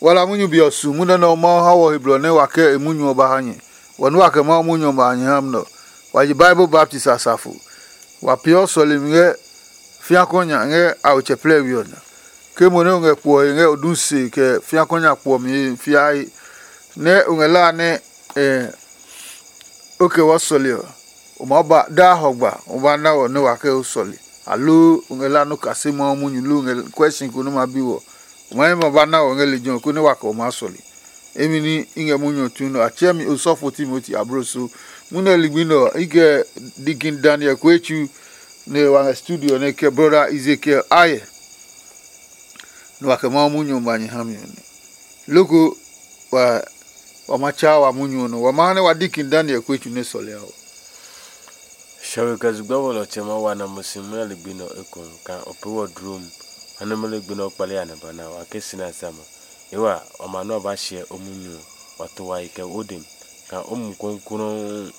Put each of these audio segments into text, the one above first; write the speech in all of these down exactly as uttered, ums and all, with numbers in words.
Wala munyu be ɔ su munyu nɛ Mawu ha wɔ he blɔ nɛ wa kɛ e munyu ɔ ba ha nyɛ. Wɔ nɛ wa kɛ Mawu munyu ɔ ba ha nyɛ ha nɛ ɔ, wa ji Bible baptist asafo. Wa peeɔ sɔlemi ngɛ fiakɔ nya ngɛ a otsɛ plɛɛ we ɔ nya. Ke mo nɛ o ngɛ kpuɔ he ngɛ o du se kɛ fiakɔ nya kpuɔmi he fiae, nɛ o ngɛ la nɛ o kɛ wɔ sɔle ɔ, o maa ba daa hɔgba o ba na wɔ nɛ wa kɛ o sɔle, aloo o ngɛ la nɔ kase Mawu munyu loo o ngɛ kuɛ si ko nɛ ma bi wɔ, o ma hɛ ma ba na wɔ ngɛ lejɛ ɔ konɛ wa kɛ o maa sɔle. Emi ní i ngɛ munyu ɔ tsu nɛ a tsɛ mi osɔfo Timoti abloso. Munɛ ligbi nɛ ɔ, i kɛ Dikin Daniel Kuetsu nɛ wa ngɛ studio nɛ kɛ brɔda Ezekiel Aye, nɛ wa kɛ Mawu munyu ɔ ma nyɛ ha mi ɔ nɛ. Loko wa wa ma tsa wa munyu ɔ nɔ, wa ma ha nɛ wa Dikin Daniel Kuetsu nɛ sɔlea ɔ. Shɔwe kɛ zugba wɔ lɔ tsɛ ma wa na mo si muna ligbi nɛ ɔ ekohu kaa o pee wɔ dlom. Ha nɛ mo ligbi nɛ ɔ kpale ya nɛ ba na wa ke si na sa ma. Yewa, wa ma nɛ ɔ ba hyɛ o munyu ɔ, wa to wa yi kɛ o dem, kaa o mu kɔnklɔn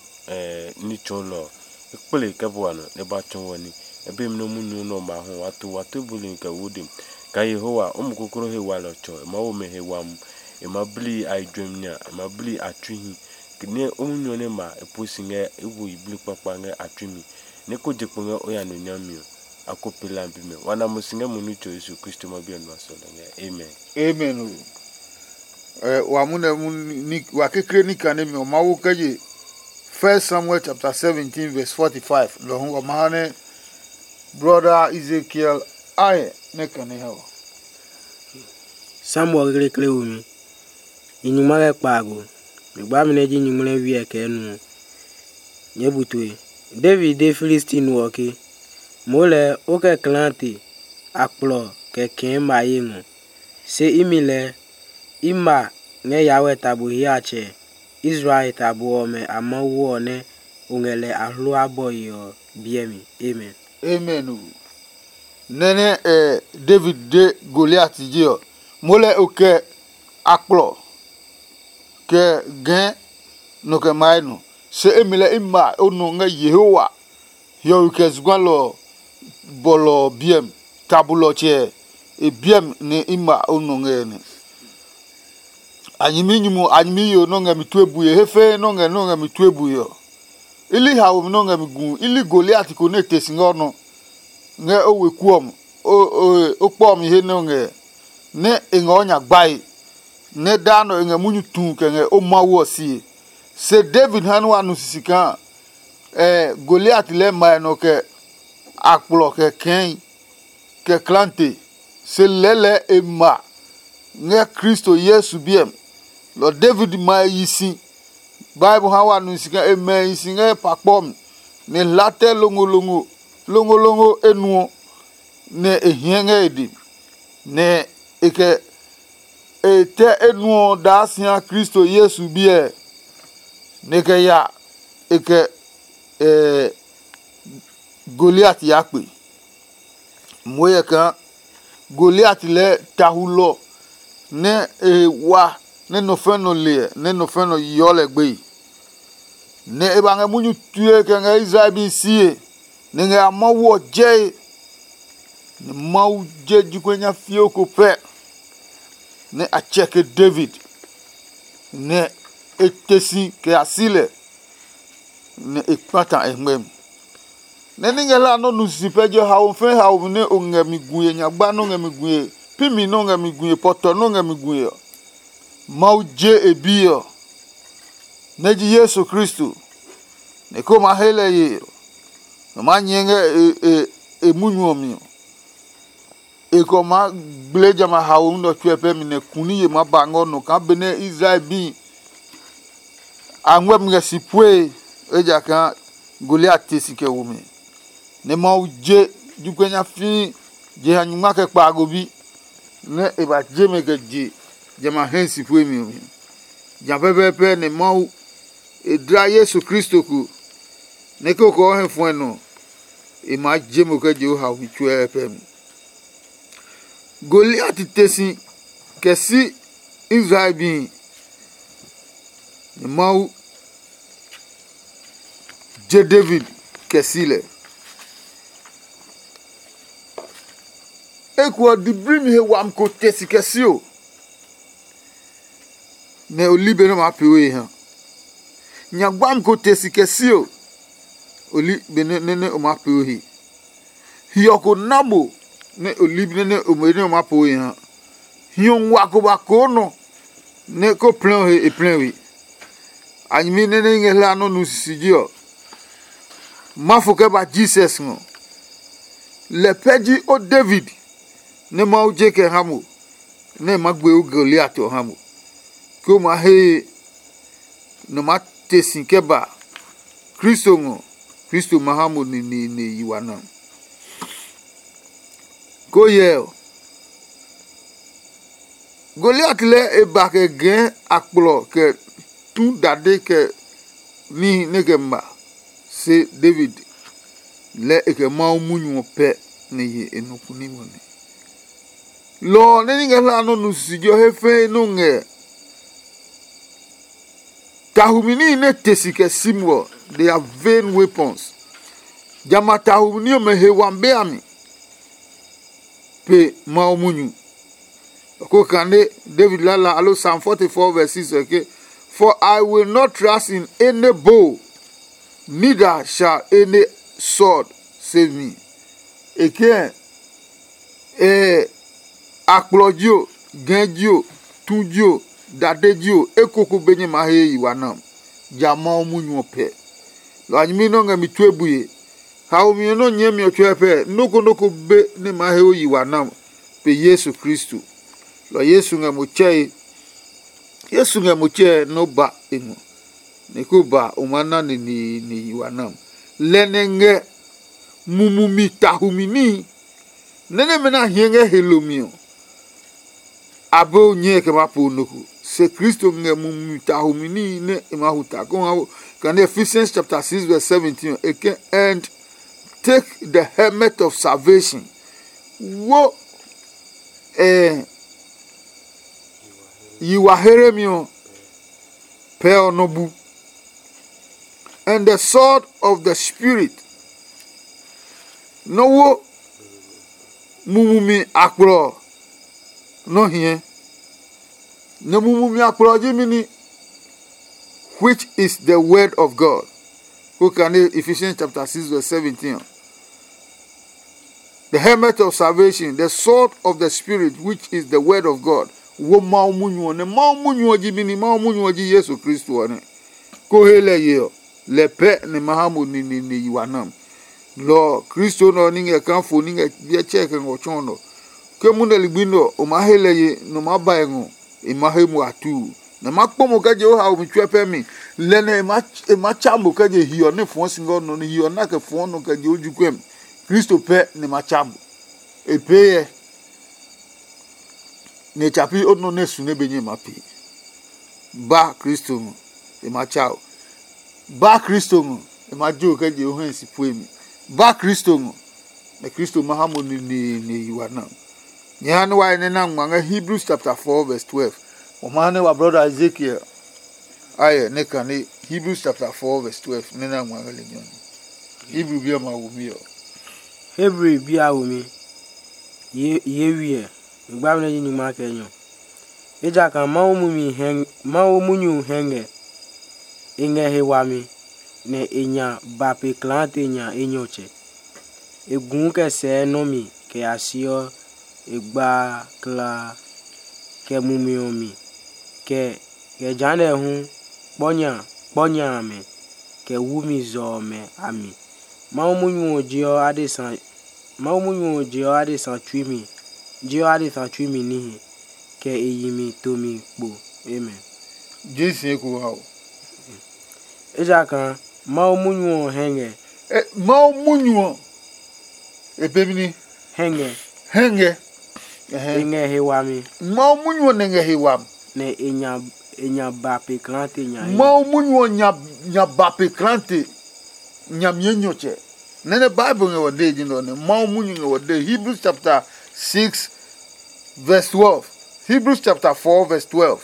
ní tsɔɔlɔ ɔ, e kple kɛ bua nɔ nɛ e ba tsɔɔ wɔ ní. E be mi nɛ o munyu nɛ ɔ ma hu wa to wa to buli kɛ o dem. Kaa Yehowa, o mu kɔnklɔn he walɔ tsɔ, e maa wo mɛ he wami, e maa bli a yi juɛmi nya, e maa bli a tsui hi. Nɛ o munyu ɔ nɛ ma e pue si ngɛ e wo yiblii kpakpa ngɛ a tsui mi, nɛ ko je kpo ngɛ o ya no nyami ɔ, a ko pee lambi mɛ. Wa na mo si ngɛ mo nitsɛ Yesu Kristo ma bi ɔ nua sɔlɔ ngɛ. Amen. Amen o. Ɛ wa mu nɛ mu ni wa kekle ni kane mi ɔ Mawu kɛ je First Samuel chapter seventeen verse forty-five. Lɔ hu wa ma ha nɛ brother Ezekiel aye nɛ kane ha wa. Samuel kekle womi. I nyingma kɛ kpaago. Mi gbami nɛ ji nyingmlɛvi ɛ kɛ nu ɔ. Nyɛɛ bu tue. David de Filisti no ɔ ke, moo lɛɛ o kɛ klaate akplɔ kɛ kɛɛ ma ye ngɔ. Se imi lɛɛ i ma ngɛ Yawɛ tabo hiatsɛ Israel tabo ɔmɛ a Mawu ɔ nɛ o ngɛ lɛ ahlua bɔe ɔ biɛ mi. Amen. Amen o. Nɛ nɛ ɛ David de Goliat je ɔ, moo lɛ o kɛ akplɔ kɛ gɛɛ nɔ kɛ mae nɔ. Se emi lɛ i ma o nɔ ngɛ Yehowa hiɔwe kɛ zugba lɔ ɔ bɔlɔ ɔ biɛ mi. Tabulɔ tsɛ e biɛ mi nɛ i ma o nɔ ngɛ nɛ. A nyɛmi nyumu a nyɛmi yo nɔ ngɛ mi tue bue he fɛɛ nɔ ngɛ nɔ ngɛ mi tue bue ɔ. I li haomi nɔ ngɛ mi gu i li Goliat ko nɛ e te si ngɛ o nɔ ngɛ o weku ɔ mi o kpɔ ɔ mi he nɛ o ngɛ nɛ e ngɛ o nya gbae, nɛ daa nɔ e ngɛ munyu tu kɛ ngɛ o Mawu ɔ sie. Se David ha nɛ wa nu sisi kaa Goliat lɛɛ mae nɔ kɛ akplɔ kɛ kɛɛi kɛ klante, se lɛlɛɛ e ma ngɛ Kristo Yesu biɛ mi. Lɔ David ma e yi si. Bible ha wa nu si kaa e mɛ e yi si ngɛ pa kpɔ mi, nɛ e hla tɛ longolongo longolongo enuɔ, nɛ e hiɛ ngɛ e dɛ mi, nɛ e kɛ e tɛ enuɔ daa si ha Kristo Yesu biɛ, nɛ e kɛ ya e kɛ Goliat ya kpe. Muoyɛ kaa Goliat lɛɛ tahulɔ nɛ e he wa nɛ nɔ fɛ nɔ le ɛ nɛ nɔ fɛ nɔ yeɔ lɛ gbeye. Nɛ e ba ngɛ munyu tue kɛ ngɛ Israel bi sie, nɛ ngɛ a Mawu ɔ jɛe. Nɛ Mawu je jokuɛ nyafio ko pɛ nɛ a tsɛke David, nɛ e te si kɛ ya si lɛ, nɛ e kpata e ngmɛmi. Nɛ ní ngɛ hlaa nɔ́ nu sisi pɛ je haomi fɛɛ haomi nɛ o ngɛ mi gue nyagba nɔ́ ngɛ mi gue pimi nɔ́ ngɛ mi gue pɔtɔ nɔ́ ngɛ mi gue ɔ, Mawu je e Bi ɔ, nɛ ji Yesu Kristo, nɛ ko ma he lɛ ye ɔ, nɔ maa nyɛɛ ngɛ e munyu ɔ mi ɔ. E kɛ ɔ maa gble jamɛ a haomi nɛ ɔ tsuɛ pɛ mi nɛ ku ní ye maa ba ngɛ o nɔ kaa benɛ Israel bi a ngmɛ́ mi ngɛ si puee, ejakaa Goliat te si kɛ wo mɛ. Nɛ Mawu je jokuɛ nyafii jeha nyingma kɛ kpaago bi, nɛ e ba je mɛ kɛ je jamɛ a hɛ si puemi ɔ mi. Ja pɛpɛɛpɛ nɛ Mawu e dla Yesu Kristo ko, nɛ ke o kɛ o hɛ fuɛ nɔ, e maa je mo kɛ je o haomi tsuɛ pɛ mi. Goliat te si kɛ si Israel bi, nɛ Mawu je David kɛ si lɛ. Eko ɔ, diblimi he wami ko te si kɛ si o. nɛ o li be nɛ o maa pee o he ha. Nya gbaami ko te si kɛ si o, o li be nɛ nɛ o maa pee o he. Hiɔ ko na mo nɛ o li be nɛ o maa pee o he ha. Hiɔ nguaa ko ba koo nɔ nɛ ko plɛ o he e plɛ we. A nyɛmi nɛ nɛ i ngɛ hlaa nɔ́ nu sisije ɔ, ma fo kɛ ba Jesus ngɔ. Lɛ pɛ ji o David nɛ Mawu je kɛ ha mo, nɛ e maa gbe o Goliat ɔ ha mo, ke o maa hee nɔ maa te si kɛ ba Kristo ngɔ. Kristo ma ha mo neneene yi wa na. Ko hyɛ ɔ, Goliat lɛɛ e ba kɛ gɛɛ akplɔ kɛ tu dade kɛ níhi nɛ kɛ ma, se David lɛɛ e kɛ Mawu munyu ɔ pɛ nɛ ye e nɔ kuni ngɔ nɛ. Lɔ ɔ nɛ ní ngɛ hlaa nɔ́ nu sisije ɔ he fɛɛ nɔ ngɛ tahumi níhi nɛ te si kɛ si mo ɔ, they are vain weapons. Jamɛ a tahumi ní ɔmɛ he wami be a mi pe Mawu munyu. Ko kane David lala alo Psalm forty-four verse six ɔ ke, "For I will not trust in any bow, neither shall any sword save me." E ke, eh, akplɔ ji o, gɛ ji o, tu ji o, dade ji o, ekoko be nyɛ ma he yi wa nam, ja Mawu munyu ɔ pɛ. Lɔ a nyɛmi nɛ ɔ ngɛ mi tue bue. Haomi ɔ nɛ ɔ nyɛɛ mi ɔ tsuɛ pɛ, nɔ́ ko nɔ́ ko be nɛ ma he o yi wa nam pe Yesu Kristo. Lɔ Yesu ngɛ mo tsɛe, Yesu ngɛ mo tsɛe nɛ o ba e ngɔ, nɛ ko ba o maa na neneene yi wa nam. Lɛ nɛ ngɛ mumumi tahumi níhi nɛ nɛmɛ nɛ a hiɛ ngɛ he lomi ɔ, a be o nyɛe kɛ maa po nɔ ko. Se Kristo ngɛ mumi tahomi níhi nɛ e maa hu ta kó ha kane Ephesians chapter six verse seventeen ɔ, e ke, "And take the helmet of salvation." Wo eh, yi wa heremi ɔ pɛ ɔ nɔ bu. "And the sword of the Spirit." Nɔ wo mumumi akplɔ nɔ hiɛ. Nɛ mumumi akplɔ ji mini, which is the word of God. Ko kane Ephesians chapter six verse seventeen. The helmet of salvation, the sword of the Spirit, which is the word of God. Wo Mawu munyu ɔ, nɛ Mawu munyu ɔ ji mini, Mawu munyu ɔ ji Yesu Kristo ɔ nɛ. Ko he lɛ ye ɔ, lɛ pɛ nɛ ma ha mo neneene yi wa nam. Lɔ ɔ, Kristo nɛ ɔ ní ngɛ kaa fo ní ngɛ biɛ tsɛɛ kɛ ngɔ tsɔɔ nɔ. Ke munɛ ligbi nɛ ɔ, o maa he lɛ ye, nɛ o maa ba e ngɔ, e ma he mo a tuu. Nɛ ma kpɔ mo kɛ je o haomi tsuɛ pɛ mi. Lɛ nɛ e ma e ma tsa mo kɛ je hiɔ nɛ fɔɔ si ngɛ o nɔ, nɛ hiɔ na kɛ fɔɔ nɔ kɛ je o jukuɛ mi. Kristo pɛ nɛ ma tsa mo. E pee yɛ, nɛ e tsa pi o nɔ nɛ su nɛ be nyɛ ma pee. Ba Kristo ngɔ, e ma tsa o. Ba Kristo ngɔ, e ma jo kɛ je o hɛ si pue mi. Ba Kristo ngɔ, nɛ Kristo ma ha mo neneene yi wa na. Nyɛ ha ne wa nɛ na ngma ngɛ Hebrews chapter four verse twelve. Mo ma ha ne wa brother Ezekiel ayɛ ne kane Hebrews chapter four verse twelve ne na ngma ngɛ le nyɔ. Hebrew bi ɔ ma wo mi ɔ. Hebrew bi a wo mi. Ye ye wiɛ. Ngba mi nɛ ji nyuma kɛ nyɔ. Ejakaa Mawu mumi hɛ Mawu munyu hɛ ngɛ. E ngɛ he wami, nɛ e nya ba pe klaate nya enyɔtsɛ. E guu kɛ sɛɛ nɔ́ mi kɛ ya siɔ e gbaa klaa, kɛ mumi ɔ mi, kɛ kɛ jehanɛ hu kpɔ nya kpɔ nya amɛ, kɛ wu mi zɔ ɔmɛ a mi. Mawu munyu ɔ jeɔ adesa Mawu munyu ɔ jeɔ adesa tsui mi, jeɔ adesa tsui mi níhi, kɛ e yi mi tomi kpo. Amen. Jesu eko wa o. Ejakaa Mawu munyu ɔ hɛ ngɛ. E, Mawu munyu ɔ, e pemi ni. Hɛ ngɛ. Hɛ ngɛ. E Ɛhɛn. Ngɛ he wami. Mawu munyu ɔ nɛ ngɛ he wam. Nɛ e nya e nya ba pe klaate nya e. Mawu munyu ɔ nya nya ba pe klante nyamie nyɔtsɛ. Nɛnɛ Bible ngɛ wɔ dee ji nɔ nɛ Mawu munyu ngɛ wɔ dee. Hebrews chapter six verse twelve. Hebrews chapter four verse twelve.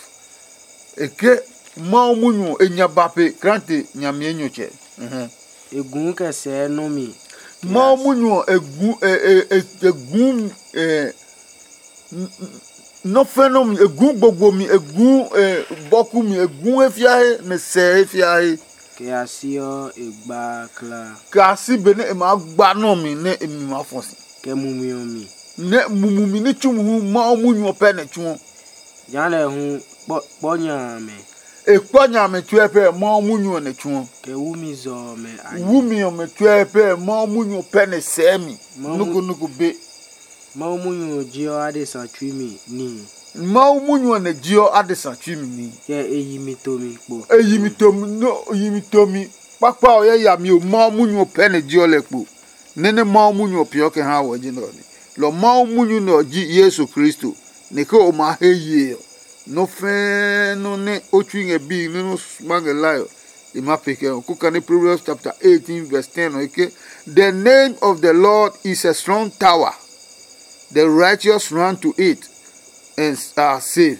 E ke Mawu munyu ɔ e nya ba pe klante nyamie nyɔtsɛ. Mhm. E gu kɛ sɛɛ nɔ mi. Mawu munyu ɔ e gu e e e e gu e n- n- Nɔ́ fɛ́ nɔ mi, e gu gbogbo mi, e gu e, bɔku mi, e gu he fiahe, nɛ sɛ he fiahe. Kɛ ya si ɔ, e gba kla. Kɛ a si benɛ e maa gba nɔ mi nɛ e mi maa fɔ si. Kɛ mumi ɔ mi. Nɛ mumi ní tsu hu Mawu munyu ɔ pɛ nɛ tsuɔ. Jehanɛ hu kpɔ nya amɛ. E kpɔ nya amɛ tsuɛ pɛ Mawu munyu ɔ nɛ tsuɔ. Kɛ wumi zɔ ɔmɛ a. Wumi ɔmɛ tsuɛ pɛ Mawu munyu ɔ pɛ nɛ sɛɛ mi. Nukunuku be. Mawu munyu ɔ jeɔ adesa tsui mi níhi. Mawu munyu ɔ nɛ jeɔ adesa tsui mi níhi. Kɛ e yi mi tomi kpo. E yi mi tomi no yi mi tomi. Kpakpa ɔ yɛ yami o Mawu munyu ɔ pɛ nɛ jeɔ lɛ kpo. Nɛ nɛ Mawu munyu ɔ peeɔ kɛ ha wɔ ji nɛ ɔ nɛ. Lɔ Mawu munyu nɛ ɔ ji Yesu Kristo, nɛ ke o maa he yee ɔ, nɔ́ fɛ́ɛ́ nɔ́ nɛ o tsui ngɛ bii nɛ nɔ́ ma ngɛ lae ɔ, e ma pee kɛ ɔ. Ko kane Proverbs chapter eighteen verse ten ɔ, e ke, "The name of the Lord is a strong tower, the righteous run to it and are safe."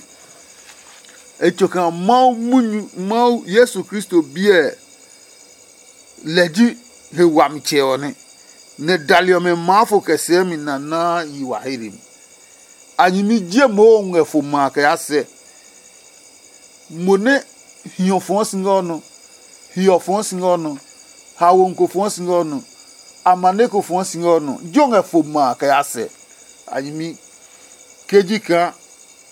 E tso kaa Mawu munyu Mawu Yesu Kristo biɛ lɛ ji he wami tsɛ ɔ nɛ, nɛ dali ɔmɛ maa fo kɛ sɛɛ mi nanaa yi wa he mi. A nyɛmi je moo ngɛ fo ma kɛ ya sɛ. Mo nɛ hiɔ fɔɔ si ngɛ ɔ nɔ, hiɔ fɔɔ si ngɛ ɔ nɔ, hawo ko fɔɔ si ngɛ ɔ nɔ, amane ko fɔɔ si ngɛ ɔ nɔ, jo ngɛ fo ma kɛ ya sɛ. A nyɛmi ke ji kaa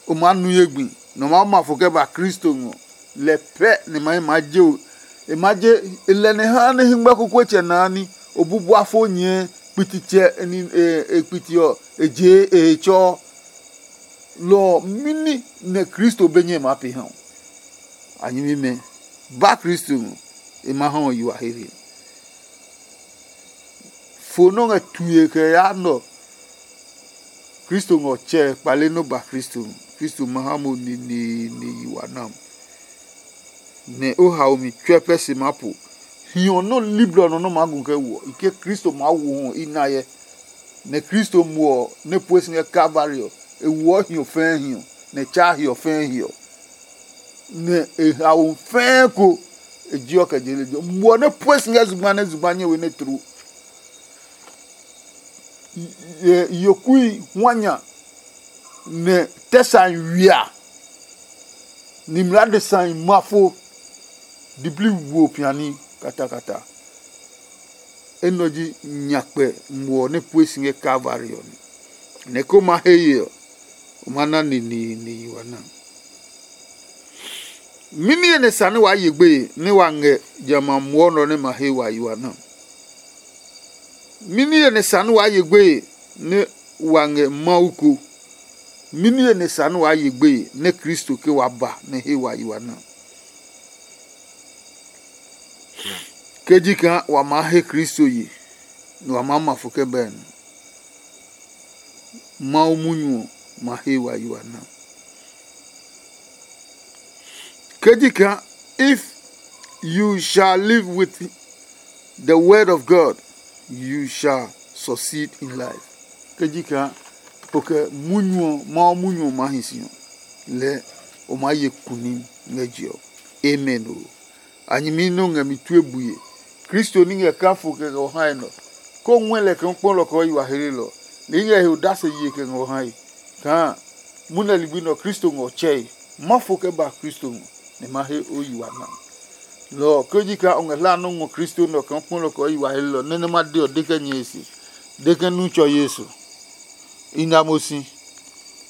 o maa nu ye gbi, nɛ o maa ma fo kɛ ba Kristo ngɔ. Lɛ pɛ nɛ ma maa je o. E ma je e lɛ nɛ ha nɛ hingba kokoetsɛ naa ní o bubua fo nyɛɛ kpititsɛ e kpiti ɔ e jee e he tsɔɔ. Lɔ ɔ mini nɛ Kristo be nyɛ maa pe ha o? A nyɛmimɛ, ba Kristo ngɔ, e ma ha o yi wa hehe. Fo nɔ́ ngɛ tue kɛ yaa nɔ. Kristo ngɔ tsɛ kpale nɔ́ ba Kristo. Kristo ma ha mo neneene yi wa nam. Nɛ o hao mi tsuɛ pɛ se maa po. Hiɔ nɔ́ liblɔ nɔ nɔ́ maa gu kɛ woɔ i ke Kristo maa wo hɔ i na yɛ. Nɛ Kristo muɔ nɛ pue si ngɛ Kalvari ɔ, e woɔ hiɔ fɛɛ hiɔ, nɛ e tsaa hiɔ fɛɛ hiɔ. Nɛ e hao fɛɛ ko e jiɔ kɛ je lejɛ muɔ nɛ pue si ngɛ zugba nɛ zugba nyɛ we nɛ tloo. Yokui hwa nya, nɛ tɛ sã wia, ni mlaa de sã ma fo. Diblii wo piani katakata. Enɛ ɔ ji nyakpɛ muɔ nɛ pue si ngɛ Kalvari ɔ nɛ. Nɛ ko ma he ye ɔ, o ma na neneene yi wa na. Mɛni he nɛ sa nɛ waa ye gbeye nɛ wa ngɛ jamɛ a muɔ nɔ nɛ ma he wa yi wa na? Mɛni he nɛ sa nɛ waa ye gbeye nɛ wa ngɛ Mawu ko? Mɛni he nɛ sa nɛ waa ye gbeye nɛ Kristo ke wa ba nɛ he wa yi wa na? Ke ji kaa wa maa he Kristo ye, nɛ wa maa ma fo kɛ bɛɛ nɔ, Mawu munyu ɔ ma he wa yi wa na. Ke ji kaa, if you shall live with the word of God, you shall succeed in life. Ke ji kaa, o kɛ munyu ɔ, Mawu munyu ɔ maa hi si ɔ, lɛɛ o maa ye kunim ngɛ je ɔ. Amen o. A nyɛmi nɛ o ngɛ mi tue bue. Kristo ní ngɛ kaa fo kɛ ngɛ o hae nɔ. Ko ngɔɛ lɛ kaa o kpɔ lɔ kɛ o yi wa hlelɔ. Lɛ i ngɛ he odase ye kɛ ngɛ o hae. Kaa munɛ ligbi nɛ ɔ Kristo ngɛ o tsɛe. Ma fo kɛ ba Kristo ngɔ, nɛ ma he o yi wa na. Lɔ ɔ ke ji kaa o ngɛ hlaa nɔ́ ngɔ Kristo nɛ ɔ kaa o kpɔ lɔ kɛ o yi wa hlelɔ nɛ nɛ ma de ɔ de kɛ nyɛ he se. De kɛ nu tsɔ Yesu. I na mo si.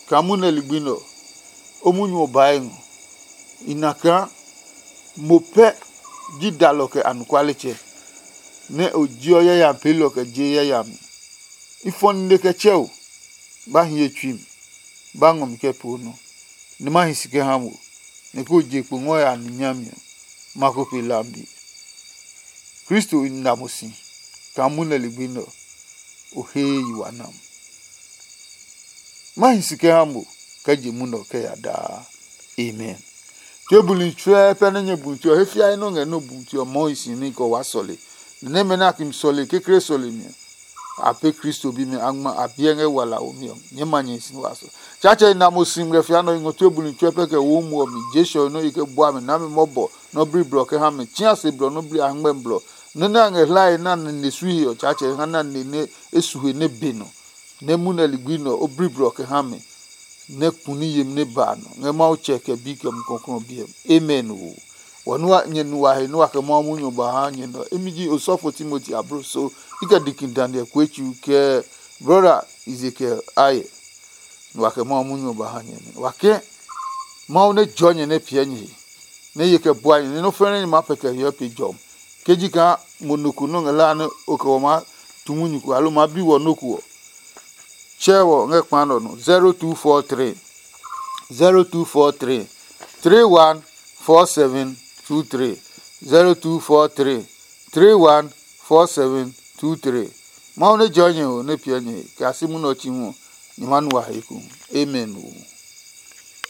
Kaa munɛ ligbi nɛ ɔ, o munyu ɔ bae ngɔ. I na kaa mo pɛ ji dalɔ kɛ anɔkualetsɛ, nɛ o jeɔ yayami peelɔ kɛ je yayami. I fɔ nine kɛ tsɛ o, ba hi ye tsui mi, ba ngɔ mi kɛ poo nɔ, nɛ ma hi si kɛ ha mo, nɛ ko je kpo ngɔ ya ni nyami ɔ, ma ko pe lambi. Kristo i na mo si kaa munɛ ligbi nɛ ɔ, o he yi wa nam. Ma hi si kɛ ha mo kɛ je munɛ ɔ kɛ ya daa. Amen. Tue buli tsuɛ pɛ nɛ nyɛ bu tue ɔ he fiae nɔ ngɛ nɔ bu tue ɔ mɔɔ hi si ní kɛ wa sɔle. Nɛ nɛmɛ nɛ a kimi sɔle kekle sɔle mi ɔ, a pe Kristo bimɛ a ngma a biɛ ngɛ wala womi ɔ, nyɛɛ ma nyɛ hi si ní wa sɔle. Tsaatsɛ i na mo si ngmlɛ fia nɔ i ngɔ tue buli tsuɛ pɛ kɛ wo mu ɔ mi je sɔ nɔ i kɛ bua mi nami mɔbɔ nɔ bli blɔ kɛ ha mi tsia se blɔ nɔ bli a ngmɛ blɔ. Nɛ nɛ a ngɛ hlae na nɛ ne sui he ɔ Tsaatsɛ ha na ne nɛ e su he nɛ be nɔ. Nɛ munɛ ligbi nɛ ɔ o bli blɔ kɛ ha mi. nɛ kuni yemi nɛ ba a nɔ ngɛ Mawu Tsɛ kɛ Bi kɛ Mumi Klɔuklɔu ɔ biɛ mi. Amen. Wo wɔ nu wa nyɛ nu wa he nɛ wa kɛ Mawu munyu ɔ ba ha nyɛ nɔ. Imi ji osɔfo Timoti ablo so i kɛ dikin Daniel Kuetsu kɛ brɔda Ezekiel Aye. Nɛ wa kɛ Mawu munyu ɔ ba ha nyɛ nɛ wa ke Mawu nɛ jɔɔ nyɛ nɛ piɛ nyɛ he, nɛ ye kɛ bua nyɛ nɛ nɔ́ fɛnɛ nyɛ maa pɛtɛ hiɔ pe jɔmi. Ke ji kaa mo nɔ ko nɔ́ ngɛ laa nɛ o kɛ wɔ maa tu munyu ko aloo maa bi wɔ nɔ́ ko ɔ, tsɛ wɔ ngɛ kpa nɔ nɔ zero two four three, zero two four three, three one four seven two three, zero two four three, three one four seven two three. Mawu nɛ jɔ nyɛ o nɛ piɛ nyɛ kɛ a si munɔ tsi hu nyɛ ma nu wa he ku. Amen o.